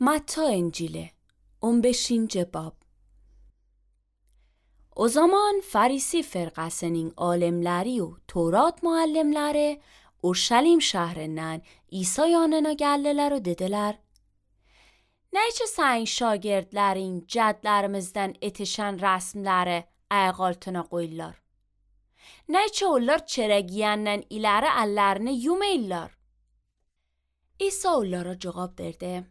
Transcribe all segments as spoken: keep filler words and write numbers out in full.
Matta İncili on beşinci bab. O zaman Farisi firqasının alimləri و Tevrat müəllimləri Urşalim şəhrindən İsa yanına gəldilər və dedilər: Necə sənin şagirdlərin cədlərimizdən etişən rəsmləri ayaq altına qoyurlar? Necə onlar çörək yeyəndən iləri əllərini yumurlar? İsa onlara cavab verdi: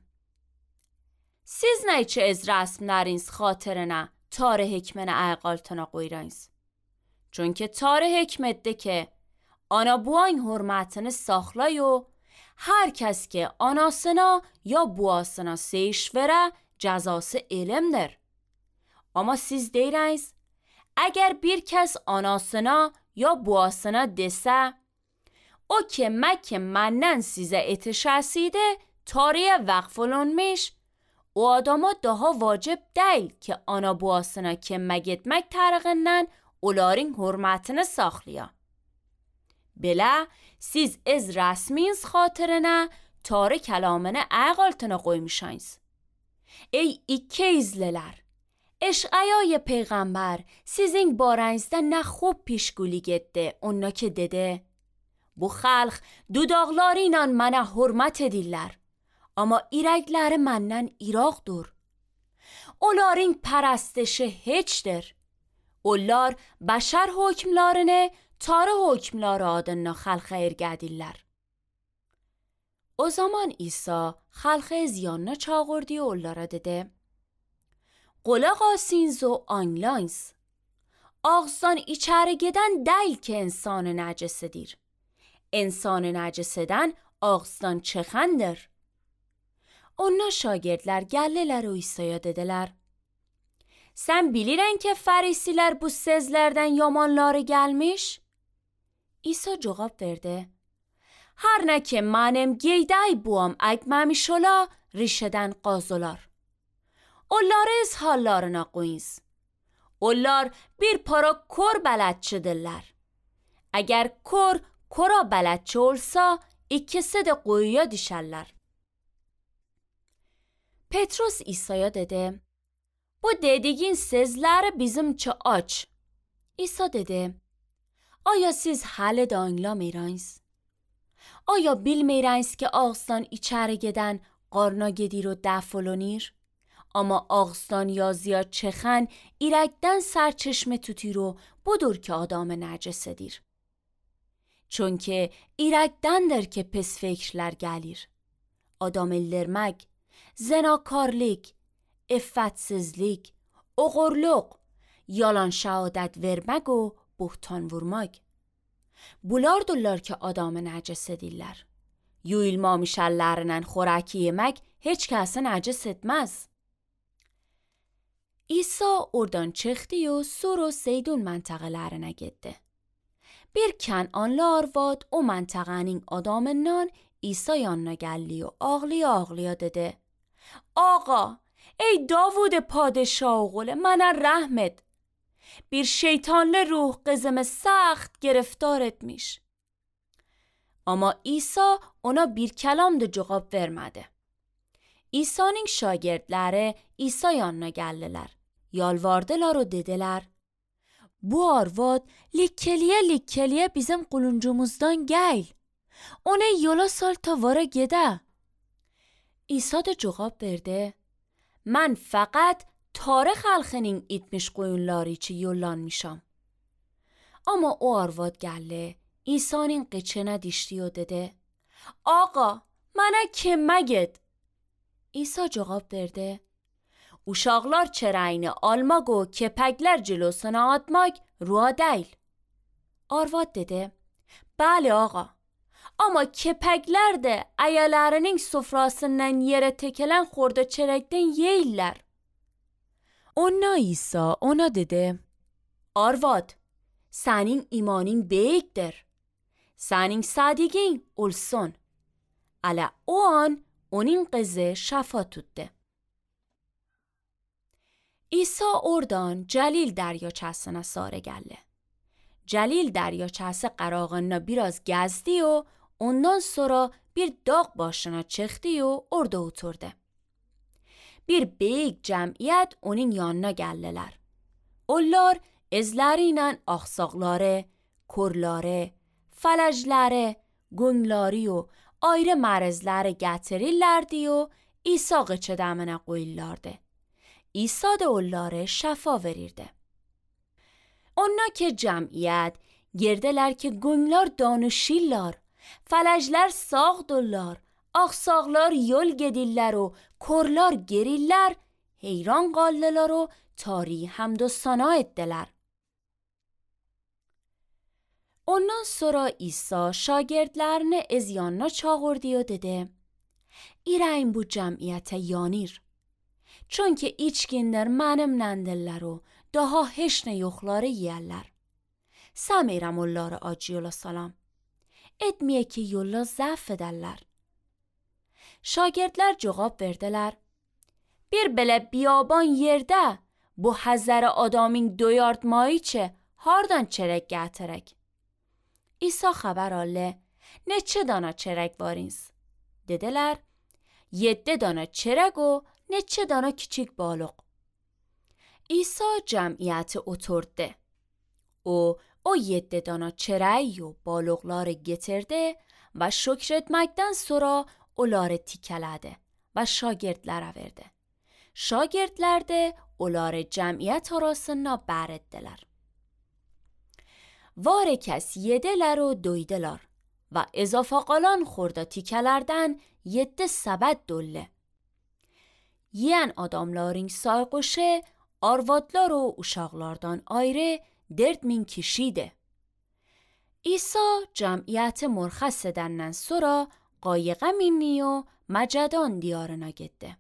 Siz necə öz rəsmləriniz xatirinə tarih hikməni ayaq altına qoyursınuz? Çünki tarih hikmətdir ki, ana buayın hürmətini saxlay و hər kəs ki anasına ya buasına seyiş verə cəzası elmdir. Amma siz deyirsiniz, əgər bir kəs anasına ya buasına desə, o ki məkə məndən sizə etişəsidir, tarihe vəqf olunmuş, o adama daha vacib deyil ki ana buasına kömək etmək tərəqindən onların hürmətini saxlaya. Belə siz öz rəsminiz xatirinə tarih kəlamını ayaq altına qoymuşsunuz. Ey iki izlilər! Eşعیای پیغمبر sizin barənizdə nə xob pişguli getdi, ona ki dedi: Bu xalq dudaqları ilə mənə hürmət edirlər, amma ürəkləri məndən iraqdır. Onların pərəstişi heçdir. Onlar bəşər hökmlarını tarih hökmları adına xalqa ergədirlər. O zaman İsa xalqı öz yanına çağırdı və onlara dedi: Qulaq asınız və anlayınız. Ağızdan içəri gedən deyil ki insanı nəcis edir. İnsanı nəcis edən ağızdan çıxandır. Onlar şagirdlər gəldilər və İsa'ya dedilər: Sən bilirən ki Farisilər bu sözlərdən yamanları gəlmiş? İsa cavab verdi: Hər nə ki mənim geyday buam əkməmiş ola, rişədən qazılar. Onları öz hallarına qoyunuz. Onlar bir para kor bələdçidirlər. Əgər kor kora bələdçi olsa, ikisi də quyuya düşərlər. Petrus İsa'ya dedi: Bu dediğin sözləri bizimçə aç. İsa dedi: Aya siz hələ də anlamırsınız? Aya bilmirsiniz ki ağızdan içəri gedən qarna gedir və dəf olunur? Amma ağızdan ya ziyad çıxan ürəkdən sərçeşmə tutur و budur ki adamı nəcis edir. Çünki ürəkdəndir ki pis fikrlər gəlir. Adam öldürmək, zinakarlık, iffətsizlik, oğurluq, yalan şəhadət vermək و buhtan vurmaq. Bulardırlar ki adamı nəcis edirlər. Yuyulmamış əllərindən xörək yemək heç kəsi nəcis etməz. İsa oradan çıxdı و Sur و Seydun məntəqələrinə getdi. Bir Kənanlı arvad o məntəqənin adamından İsa yanına gəldi و ağlaya ağlaya dedi: Ağa, ey Davud padişah oğlu, mənə rəhm et. Bir şeytanlı ruh qızımı səxt giriftar etmiş. Amma İsa ona bir kəlam da cavab vermədi. İsa'nın şagirdləri İsa yanına gəldilər. Yalvardılar və dedilər: Bu arvad likkeliyə likkeliyə bizim quluncumuzdan gəl. Onu yola sal ta vara gedə. İsa da cavab verdi: Mən faqat tarix xalqının itmiş qoyunları üçün yollanmışam. Amma o arvad gəldi, İsa'nın qıçına düşdü və dedi: Ağa, mənə kömək et. İsa cavab verdi: Uşaqlar çərəyini almaq و kəpəklər cəlosuna atmaq rua deyil. Arvad dedi: Bəli ağa, amma kəpəklər də ayalarının sofrasından yerə təkələn xorda çörəkdən yeyirlər. Ona İsa ona dedi: Arvad, sənin imanın böyükdür. Sənin sadiqin olsun. Elə o an onun qızı şəfa tutdu. İsa oradan Cəlil dəryaçasına sarı gəldi. Cəlil dəryaçası qırağında biraz gəzdi و ondan sonra bir dağ başına çıxdı و orada oturdu. bir büyük cemiyet onun yanına geldiler. Onlar ezleriyle aksakları, kurları, feləcləri, günləri o ayrı mərəzləri gətirirlərdi o İsa qıçıdəminə qoyurlardı. İsa da onları şəfa verirdi. Onlar ki cəmiyyət girdilər ki günlər danışırlar, feləclər sağdırlar, aksaqlar yol gedirlər o korlar gerirlər, heyran qaldılar o tari hamd و ثنا ettiler. Ondan sonra İsa şagirdlərini ez yanına çağırdı و dedi: İrəyin bu cəmiyyətə yanır. Çünki içkinlər mənimləndirlər o daha heç nə yoxları yiyərlər. Səmirəm onları acı yola salam. Etməyə ki yola zəf edərlər. Şagirdlər cavab verdilər: Bir belə biyaban yerdə bu həzər adamın doyartmayı çə hardan çərək gətirək? İsa xəbər aldı: Neçə dana çərək varınız? Dedilər: Yeddi dana çərək o neçə dana kiçik balıq. İsa cəmiyyəti oturdu. O, o yeddi dana çərəyi و balıqları getirdi və şükür etməkdən sonra onları tikələdi və şagirdlərə verdi. Şagirdlər də onları cəmiyyət arasına bər etdilər. Var kəs yedilər و doydular və ezafa qalan xurda tikələrdən yeddi səbət dolu. Yiyən adamların sayğışı arvadlar و uşaqlardan ayrı dörd min kişiydi. İsa cəmiyyəti mürxəs edəndən sonra qayıqa mindi و مجدان diyarına getdi.